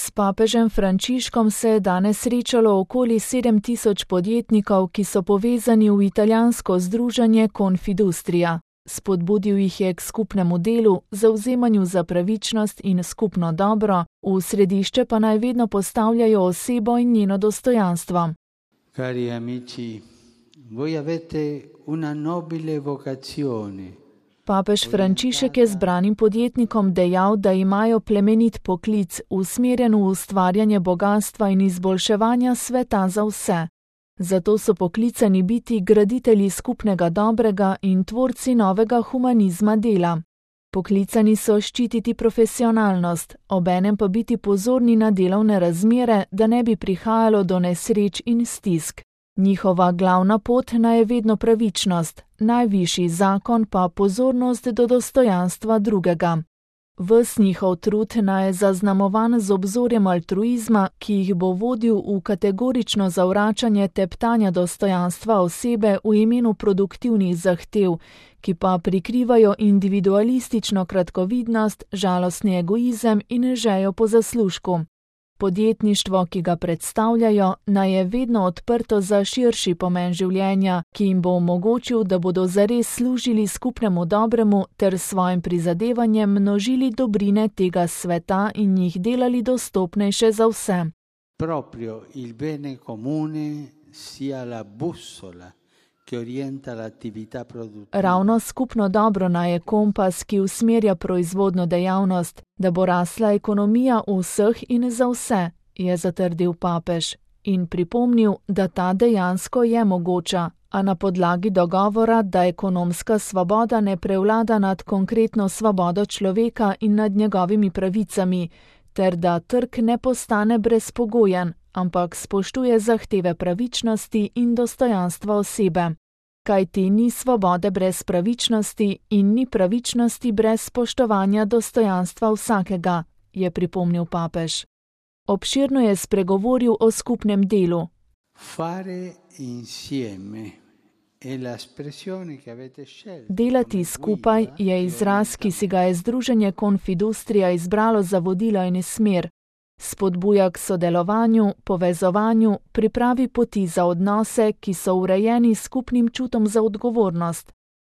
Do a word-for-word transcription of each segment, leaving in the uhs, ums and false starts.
S papežem Frančiškom se je danes srečalo okoli sedem tisoč podjetnikov, ki so povezani v italijansko združenje Confindustria. Spodbudil jih je k skupnemu delu, zavzemanju za pravičnost in skupno dobro, v središče pa naj vedno postavljajo osebo in njeno dostojanstvo. Cari amici, voi avete una nobile vocazione. Papež Frančišek je zbranim podjetnikom dejal, da imajo plemenit poklic, usmerjen v ustvarjanje bogastva in izboljševanja sveta za vse. Zato so poklicani biti graditelji skupnega dobrega in tvorci novega humanizma dela. Poklicani so ščititi profesionalnost, obenem pa biti pozorni na delovne razmere, da ne bi prihajalo do nesreč in stisk. Njihova glavna pot naj je vedno pravičnost, najvišji zakon pa pozornost do dostojanstva drugega. Ves njihov trud naj je zaznamovan z obzorjem altruizma, ki jih bo vodil v kategorično zavračanje teptanja dostojanstva osebe v imenu produktivnih zahtev, ki pa prikrivajo individualistično kratkovidnost, žalostni egoizem in željo po zaslužku. Podjetništvo, ki ga predstavljajo, naj je vedno odprto za širši pomen življenja, ki jim bo omogočil, da bodo zares služili skupnemu dobremu ter svojim prizadevanjem množili dobrine tega sveta in jih delali dostopnejše za vse. Proprio il bene comune sia la bussola che orienta l'attività produttiva. Ravno skupno dobro naj je kompas, ki usmerja proizvodno dejavnost, da bo rasla ekonomija vseh in za vse, je zatrdil papež in pripomnil, da ta dejansko je mogoča, a na podlagi dogovora, da ekonomska svoboda ne prevlada nad konkretno svobodo človeka in nad njegovimi pravicami, ter da trg ne postane brezpogojen, ampak spoštuje zahteve pravičnosti in dostojanstva osebe. Kajti ni svobode brez pravičnosti in ni pravičnosti brez spoštovanja dostojanstva vsakega, je pripomnil papež. Obširno je spregovoril o skupnem delu. Fare insieme è l'espressione che avete scelto. Delati skupaj je izraz, ki si ga je združenje Confindustria izbralo za vodilo in smer. Spodbuja k sodelovanju, povezovanju, pripravi poti za odnose, ki so urejeni s skupnim čutom za odgovornost.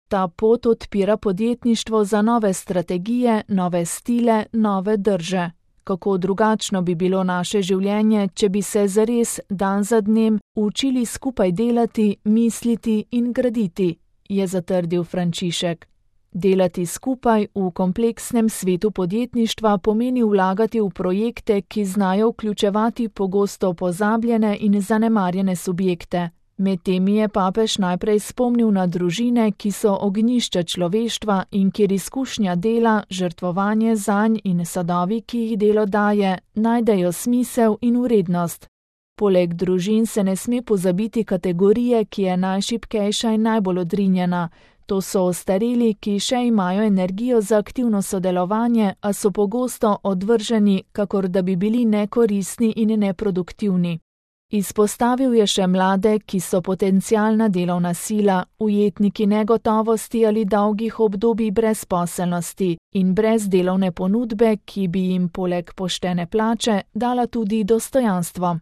Ta pot odpira podjetništvo za nove strategije, nove stile, nove drže. Kako drugačno bi bilo naše življenje, če bi se zares dan za dnem učili skupaj delati, misliti in graditi, je zatrdil Frančišek. Delati skupaj v kompleksnem svetu podjetništva pomeni vlagati v projekte, ki znajo vključevati pogosto pozabljene in zanemarjene subjekte. Med temi je papež najprej spomnil na družine, ki so ognjišča človeštva in kjer izkušnja dela, žrtvovanje zanj in sadovi, ki jih delo daje, najdejo smisel in vrednost. Poleg družin se ne sme pozabiti kategorije, ki je najšibkejša in najbolj odrinjena. To so ostareli, ki še imajo energijo za aktivno sodelovanje, a so pogosto odvrženi, kakor da bi bili nekoristni in neproduktivni. Izpostavil je še mlade, ki so potencialna delovna sila, ujetniki negotovosti ali dolgih obdobij brezposelnosti in brez delovne ponudbe, ki bi jim poleg poštene plače dala tudi dostojanstvo.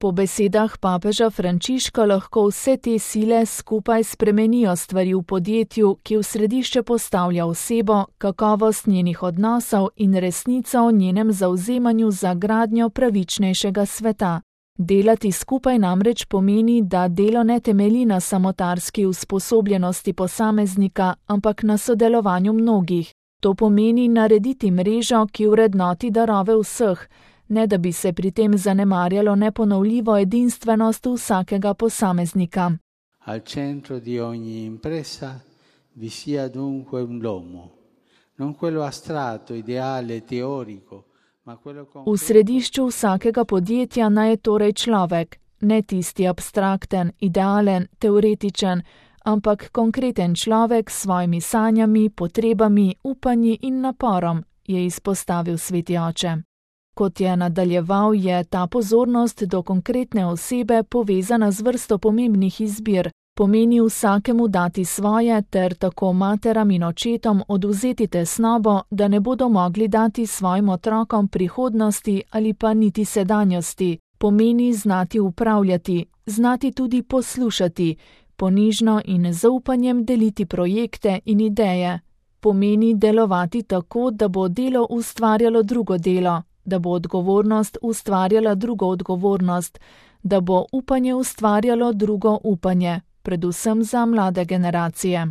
Po besedah papeža Frančiška lahko vse te sile skupaj spremenijo stvari v podjetju, ki v središče postavlja osebo, kakovost njenih odnosov in resnico o njenem zavzemanju za gradnjo pravičnejšega sveta. Delati skupaj namreč pomeni, da delo ne temelji na samotarski usposobljenosti posameznika, ampak na sodelovanju mnogih. To pomeni narediti mrežo, ki vrednoti darove vseh, ne da bi se pri tem zanemarjalo neponovljivo edinstvenost vsakega posameznika. Al centro di ogni impresa vi sia dunque l'uomo, non quello astratto, ideale, teorico, ma quello concreto. V središču vsakega podjetja naj je torej človek, ne tisti abstrakten, idealen, teoretičen, ampak konkreten človek s svojimi sanjami, potrebami, upanji in naporom, je izpostavil sveti oče. Kot je nadaljeval, je ta pozornost do konkretne osebe povezana z vrsto pomembnih izbir, Pomeni vsakemu dati svoje ter tako materam in očetom odvzeti tesnobo, da ne bodo mogli dati svojim otrokom prihodnosti ali pa niti sedanjosti. Pomeni znati upravljati, znati tudi poslušati, ponižno in z zaupanjem deliti projekte in ideje. Pomeni delovati tako, da bo delo ustvarjalo drugo delo, da bo odgovornost ustvarjala drugo odgovornost, da bo upanje ustvarjalo drugo upanje, predvsem za mlade generacije.